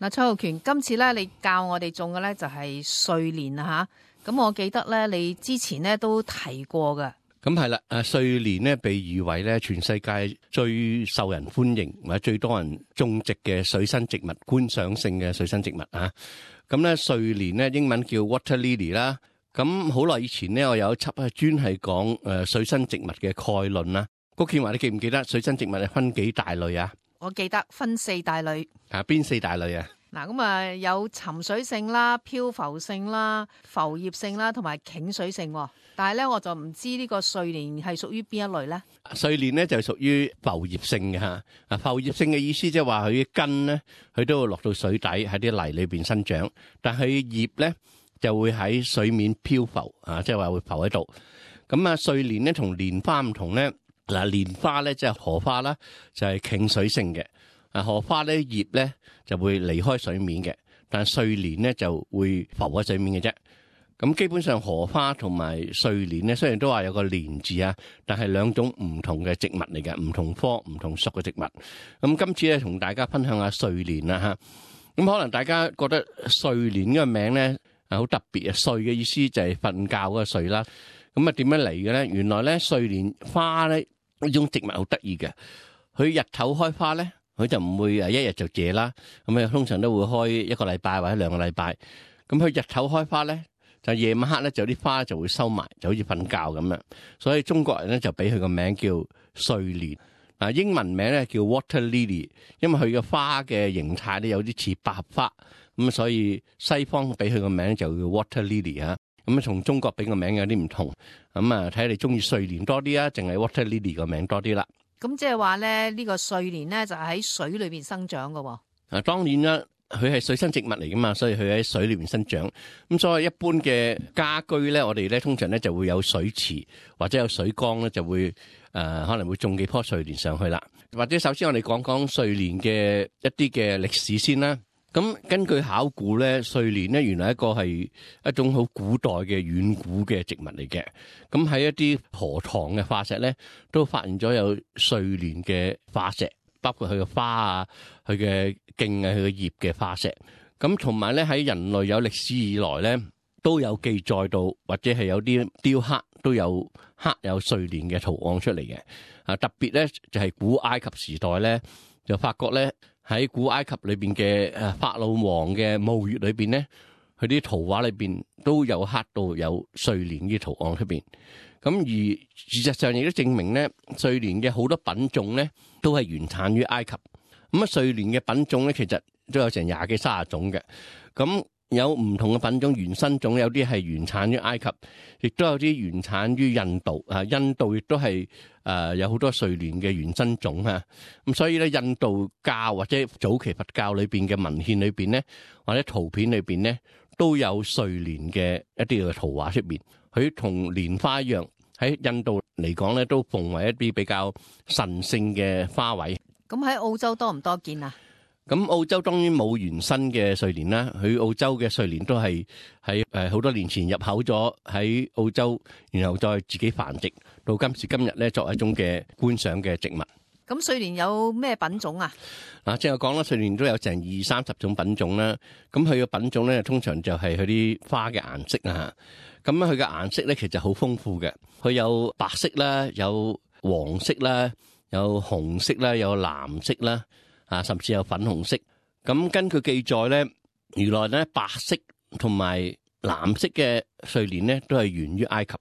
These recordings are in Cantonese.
嗱，蔡浩權，今次咧你教我哋種嘅咧就係睡蓮啊吓，咁我記得咧你之前咧都提過嘅。咁係啦，睡蓮咧被譽為咧全世界最受人歡迎或者最多人種植嘅水生植物，觀賞性嘅水生植物啊。咁咧睡蓮咧英文叫 water lily 啦。咁好耐以前咧，我有一輯係專係講水生植物嘅概論啦。谷建華，你記唔記得水生植物係分幾大類啊？我記得分4大類。邊4大類啊？嗱，咁啊有沉水性啦、漂浮性啦、浮葉性啦，同埋傾水性。但係咧，我就唔知呢個睡蓮係屬於邊一類咧？睡蓮咧就係屬於浮葉性嘅吓。浮葉性嘅意思即係話佢嘅根咧，佢都會落到水底喺啲泥裏邊生長，但係葉咧就會喺水面漂浮啊，即係話會浮喺度。咁啊，睡蓮咧同蓮花唔同咧。嗱，蓮花咧即係荷花啦，就係傾水性嘅。荷花咧葉咧就會離開水面嘅，但係睡蓮咧就會浮喺水面嘅啫。咁基本上荷花同埋睡蓮咧，雖然都話有個蓮字啊，但係兩種唔同嘅植物嚟嘅，唔同科唔同屬嘅植物。咁今次咧同大家分享下睡蓮啦吓。咁可能大家覺得睡蓮呢個名咧好特別啊，睡嘅意思就係瞓覺嗰個睡啦。咁啊點樣嚟嘅咧？原來咧睡蓮花咧呢種植物好得意嘅，佢日頭開花咧，佢就唔會一日就謝啦。咁啊通常都會開1個禮拜或者2個禮拜。咁佢日頭開花咧，就夜晚黑咧就啲花就會收埋，就好似瞓覺咁樣。所以中國人咧就俾佢個名叫睡蓮。英文名咧叫 water lily， 因為佢嘅花嘅形態咧有啲似百合花，咁所以西方俾佢個名就叫 water lily 啊。咁啊，同中國俾個名有啲唔同，咁啊睇下你中意睡蓮多啲啊，淨係 water lily 個名多啲啦。咁即係話咧，呢個睡蓮咧就喺水裏邊生長噶。當然啦，佢係水生植物嚟噶嘛，所以佢喺水裏邊生長。咁所以一般嘅家居咧，我哋咧通常咧就會有水池或者有水缸咧，就會可能會種幾棵睡蓮上去啦。或者首先我哋講講睡蓮嘅一啲嘅歷史先啦。咁根據考古咧，睡蓮咧原來一個係一種好古代嘅遠古嘅植物嚟嘅。咁喺一啲河塘嘅化石咧，都發現咗有睡蓮嘅化石，包括佢嘅花啊、佢嘅莖啊、佢嘅葉嘅化石。咁同埋咧喺人類有歷史以來咧，都有記載到或者係有啲雕刻都有刻有睡蓮嘅圖案出嚟嘅。特別咧就係古埃及時代咧，就發覺咧。喺古埃及裏邊嘅法老王嘅墓穴裏邊咧，佢啲圖畫裏邊都有刻到有睡蓮嘅圖案出邊。咁而事實上亦都證明咧，睡蓮嘅好多品種咧都係原產於埃及。咁啊，睡蓮嘅品種咧其實都有成20幾30種嘅。咁有唔同嘅品種原生種，有啲係原產於埃及，亦都有啲原產於印度。印度亦都係有好多睡蓮嘅原生種啊。咁所以咧，印度教或者早期佛教裏邊嘅文獻裏邊咧，或者圖片裏邊咧，都有睡蓮嘅一啲嘅圖畫出邊。佢同蓮花一樣，喺印度嚟講咧，都奉為一啲比較神聖嘅花卉。咁喺澳洲多唔多見啊？咁澳洲當然冇原生嘅睡蓮啦，佢澳洲嘅睡蓮都係喺好多年前入口咗喺澳洲，然後再自己繁殖到今時今日咧，作為一種嘅觀賞嘅植物。咁睡蓮有咩品種啊？正係講啦，睡蓮都有成20-30種品種啦。咁佢嘅品種咧，通常就係佢啲花嘅顏色啊。咁佢嘅顏色咧，其實好豐富嘅。佢有白色啦，有黃色啦，有紅色啦，有藍色啦。甚至有粉紅色。咁根據記載咧，原來咧白色同埋藍色嘅睡蓮咧都係源於埃及，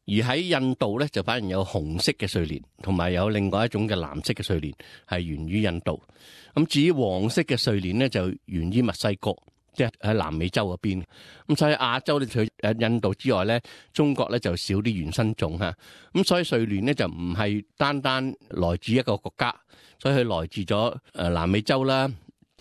而喺印度咧就反而有紅色嘅睡蓮，同埋有另外一種嘅藍色嘅睡蓮係源於印度。咁至於黃色嘅睡蓮咧就源於墨西哥，即係喺南美洲嗰邊。咁所以亞洲咧除印度之外咧，中國咧就少啲原生種嚇。咁所以睡蓮咧就唔係單單來自一個國家。所以佢來自咗南美洲啦、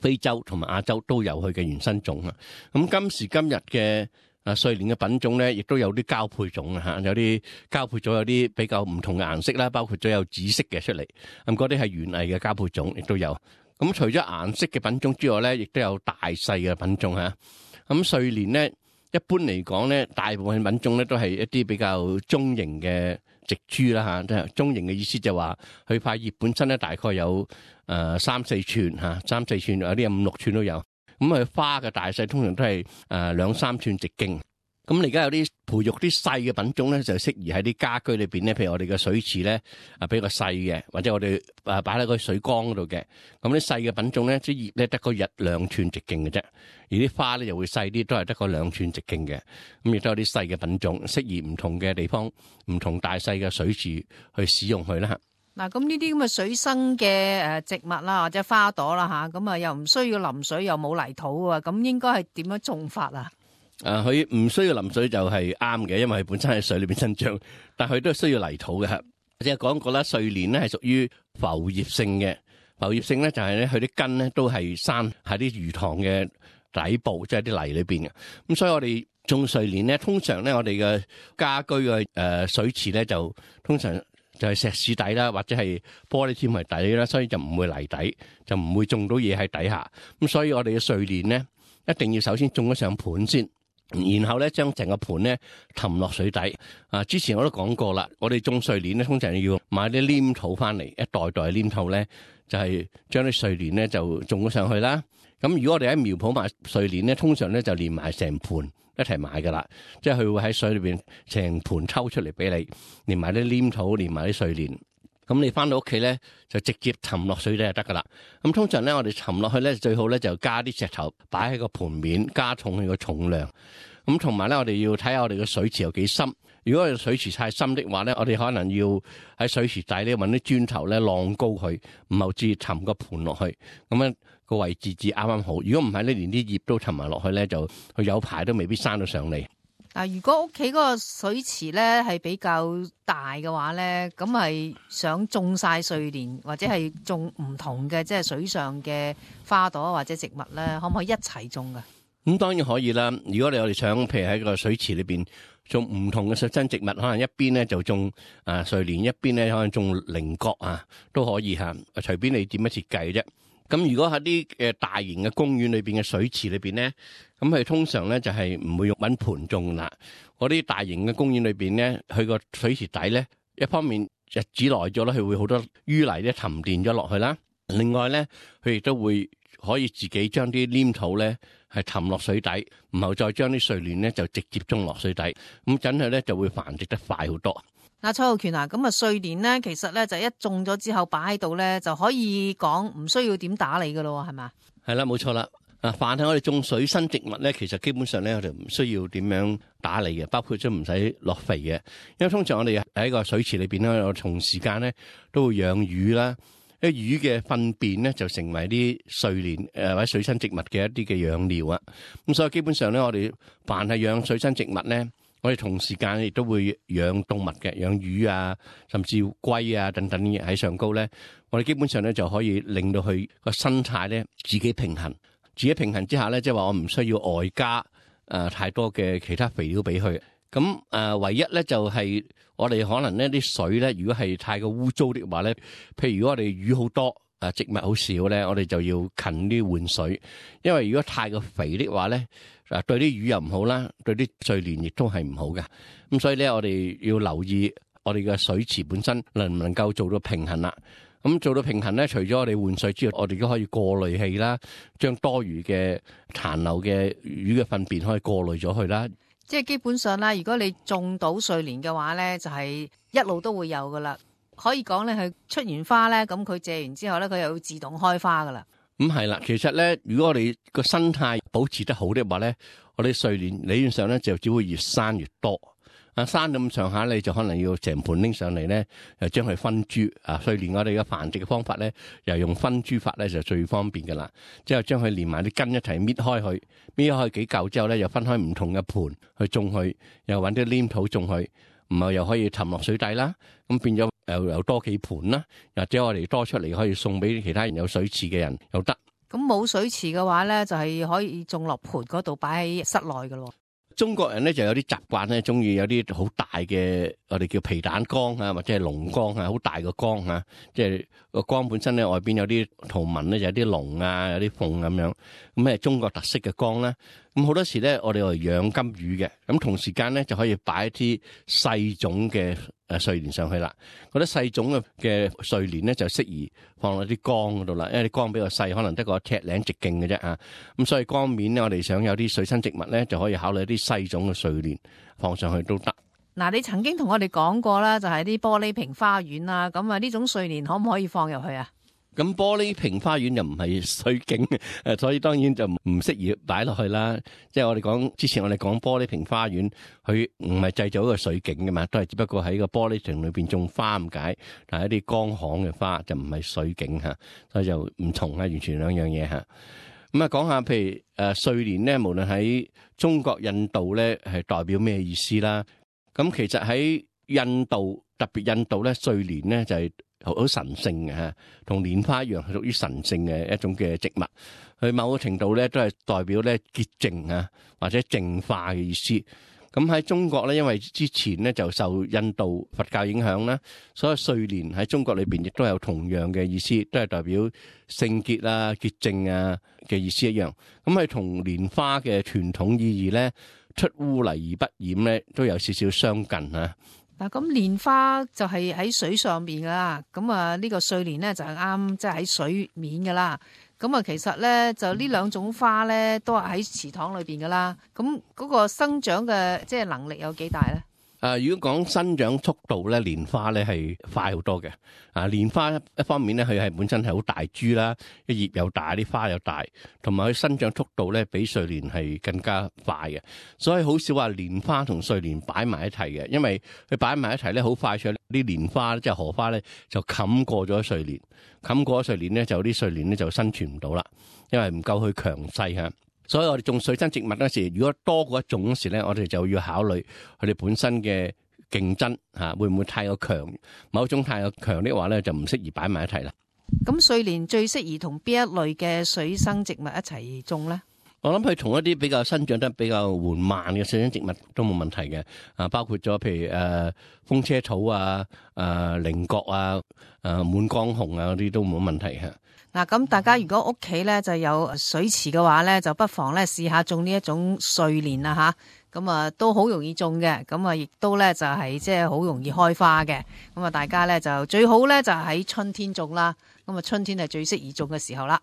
非洲同埋亞洲都有佢嘅原生種啊。咁今時今日嘅睡蓮嘅品種咧，亦都有啲交配種啊，有啲交配咗有啲比較唔同嘅顏色啦，包括咗有紫色嘅出嚟。咁嗰啲係園藝嘅交配種，亦都有。咁除咗顏色嘅品種之外咧，亦都有大細嘅品種嚇。咁睡蓮咧，一般嚟講咧，大部分品種咧都係一啲比較中型嘅植株啦嚇，即係中型嘅意思就話佢塊葉本身咧大概有3-4寸嚇，3-4寸有啲有5-6寸都有。咁佢花嘅大細通常都係2-3寸直徑。咁而家有啲培育啲細嘅品種咧，就適宜喺啲家居裏邊咧，譬如我哋嘅水池咧比較細嘅，或者我哋擺喺個水缸嗰度嘅。咁啲細嘅品種咧，啲葉咧得個2寸直徑嘅啫，而啲花咧就會細啲，都係得個2寸直徑嘅。咁亦都有啲細嘅品種，適宜唔同嘅地方、唔同大細嘅水池去使用佢啦。嗱，咁呢啲咁嘅水生嘅植物啦，或者花朵啦嚇，咁啊又唔需要淋水，又冇泥土啊，咁應該係點樣種法啊？佢唔需要淋水就係啱嘅，因為佢本身喺水裏邊生長，但佢都係需要泥土嘅。即係講過啦，睡蓮咧係屬於浮葉性嘅，浮葉性咧就係咧佢啲根咧都係生喺啲魚塘嘅底部，即係啲泥裏邊嘅。咁所以我哋種睡蓮咧，通常咧我哋嘅家居嘅水池咧就通常就係石屎底啦，或者係玻璃纖維底啦，所以就唔會泥底，就唔會種到嘢喺底下。咁所以我哋嘅睡蓮咧一定要首先種咗上盤先。然後咧，將成個盤咧氹落水底。之前我都講過啦，我哋種睡蓮咧，通常要買啲黏土翻嚟，一袋袋黏土咧，就係將啲睡蓮咧就種咗上去啦。咁如果我哋喺苗圃買睡蓮咧，通常咧就連埋成盤一齊買噶啦，即係佢會喺水裏邊成盤抽出嚟俾你，連埋啲黏土，連埋啲睡蓮。咁你翻到屋企咧，就直接沉落水底就得噶啦。咁通常咧，我哋沉落去咧，最好咧就加啲石頭擺喺個盤面，加重佢個重量。咁同埋咧，我哋要睇下我哋嘅水池有幾深。如果我哋水池太深的話咧，我哋可能要喺水池底咧揾啲磚頭咧晾高佢，唔好至沉個盤落去。咁樣個位置至啱啱好。如果唔係咧，連啲葉都沉埋落去咧，就佢有排都未必生到上嚟。嗱，如果屋企嗰個水池咧係比較大嘅話咧，咁係想種晒睡蓮或者係種唔同嘅即係水上嘅花朵或者植物咧，可唔可以一齊種噶？咁當然可以啦。如果我哋想譬如喺個水池裏邊種唔同嘅水生植物，可能一邊咧就種睡蓮，一邊咧可能種菱角啊，都可以嚇。隨便你點樣設計啫。咁如果喺啲大型嘅公園裏邊嘅水池裏邊咧，咁佢通常咧就係唔會用揾盆種啦。嗰啲大型嘅公園裏邊咧，佢個水池底咧，一方面日子耐咗咧，佢會好多淤泥咧沉澱咗落去啦。另外咧，佢亦都會可以自己將啲黏土咧係氹落水底，然後再將啲睡蓮咧就直接種落水底，咁真係咧就會繁殖得快好多。嗱，蔡浩權啊，咁啊睡蓮咧，其實咧就一種咗之後擺喺度咧，就可以講唔需要點打理噶咯，係嘛？係啦，冇錯啦。凡係我哋種水生植物咧，其實基本上咧我哋唔需要點樣打理嘅，包括都唔使落肥嘅。因為通常我哋喺個水池裏邊咧，我同時間咧都會養魚啦。啲魚嘅糞便咧就成為啲睡蓮或者水生植物嘅一啲嘅養料啊。咁所以基本上咧，我哋凡係養水生植物咧，我哋同時間亦都會養動物嘅，養魚啊，甚至龜啊等等喺上高咧，我哋基本上咧就可以令到佢個生態咧自己平衡。自己平衡之下咧，即係話我唔需要外加太多嘅其他肥料俾佢。咁唯一咧就係我哋可能呢啲水咧，如果係太過污糟的話咧，譬如如果我哋魚好多，植物好少咧，我哋就要勤啲換水。因為如果太過肥的話咧，對啲魚又唔好啦，對啲睡蓮亦都係唔好嘅。咁所以咧，我哋要留意我哋嘅水池本身能唔能夠做到平衡啦。咁做到平衡咧，除咗我哋換水之外，我哋都可以過濾器啦，將多餘嘅殘留嘅魚嘅糞便可以過濾咗去啦。即係基本上啦，如果你種到睡蓮嘅話咧，就係一路都會有噶啦。可以講咧，佢出完花咧，咁佢謝完之後咧，佢又會自動開花噶啦。係啦，其實咧，如果我哋個生態保持得好嘅話咧，我哋睡蓮理論上咧就只會越生越多。生咁上下，你就可能要成盤拎上嚟咧，又將佢分株。睡蓮我哋嘅繁殖嘅方法咧，又用分株法咧就最方便噶啦。之後將佢連埋啲根一齊搣開佢，搣開幾嚿之後咧，又分開唔同嘅盤去種佢，又搵啲黏土種佢，唔係又可以沉落水底啦。咁變咗又多幾盤啦，或者我哋多出嚟可以送俾其他人有水池嘅人又得。咁冇水池嘅話咧，就係可以種落盤嗰度擺喺室內噶咯。中國人咧就有啲習慣咧，中意有啲好大嘅，我哋叫皮蛋缸啊，或者係龍缸啊，好大個缸啊，即係個缸本身咧外邊有啲圖文咧，就有啲龍啊，有啲鳳咁樣，咁係中國特色嘅缸啦。咁好多時咧，我哋嚟養金魚嘅，咁同時間咧就可以擺一啲細種嘅睡蓮上去啦。嗰啲細種嘅睡蓮咧就適宜放喺啲缸嗰度啦，因為啲缸比較細，可能得個尺零直徑嘅啫啊。咁所以缸面咧，我哋想有啲水生植物咧，就可以考慮一啲細種嘅睡蓮放上去都得。嗱，你曾經同我哋講過啦，就係啲玻璃瓶花園啦，咁啊呢種睡蓮可唔可以放入去啊？咁玻璃瓶花園又唔係水景，所以當然就唔適宜擺落去啦。即係我哋講之前，我哋講玻璃瓶花園，佢唔係製造一個水景噶嘛，都係只不過喺個玻璃瓶裏邊種花咁解，但係一啲乾旱嘅花就唔係水景吓，所以就唔同啊，完全兩樣嘢吓。咁啊，講下譬如睡蓮咧，無論喺中國、印度咧，係代表咩意思啦？咁其實喺印度，特別印度咧，睡蓮咧就係好神聖嘅吓，同蓮花一樣係屬於神聖嘅一種嘅植物。佢某個程度咧都係代表咧潔淨啊，或者淨化嘅意思。咁喺中國咧，因為之前咧就受印度佛教影響啦，所以睡蓮喺中國裏邊亦都有同樣嘅意思，都係代表聖潔啊、潔淨啊嘅意思一樣。咁係同蓮花嘅傳統意義咧，出污泥而不染咧，都有少少相近啊。嗱，咁蓮花就係喺水上邊噶啦，咁啊呢個睡蓮咧就係啱即係喺水面噶啦。咁啊其實咧就呢兩種花咧都係喺池塘裏邊噶啦。咁嗰個生長嘅即係能力有幾大咧？如果講生長速度咧，蓮花咧係快好多嘅。蓮花一方面咧，佢係本身係好大株啦，啲葉又大，啲花又大，同埋佢生長速度咧比睡蓮係更加快嘅。所以好少話蓮花同睡蓮擺埋一齊嘅，因為佢擺埋一齊咧，好快脆啲蓮花即係荷花咧就冚過咗睡蓮，冚過咗睡蓮咧就啲睡蓮咧就生存唔到啦，因為唔夠佢強勢嚇。所以我哋種水生植物嗰時，如果多過一種嗰時咧，我哋就要考慮佢哋本身嘅競爭嚇，會唔會太過強？某種太過強的話咧，就唔適宜擺埋一齊啦。咁睡蓮最適宜同邊一類嘅水生植物一齊種咧？我諗佢同一啲比較生長得比較緩慢嘅水生植物都冇問題嘅。包括咗譬如風車草啊、菱角啊、滿江紅啊嗰啲都冇問題嘅。嗱，咁大家如果屋企咧就有水池嘅話咧，就不妨咧試下種呢一種睡蓮啦吓，咁啊都好容易種嘅，咁啊亦都咧就係即係好容易開花嘅，咁啊大家咧就最好咧就喺春天種啦，咁啊春天係最適宜種嘅時候啦。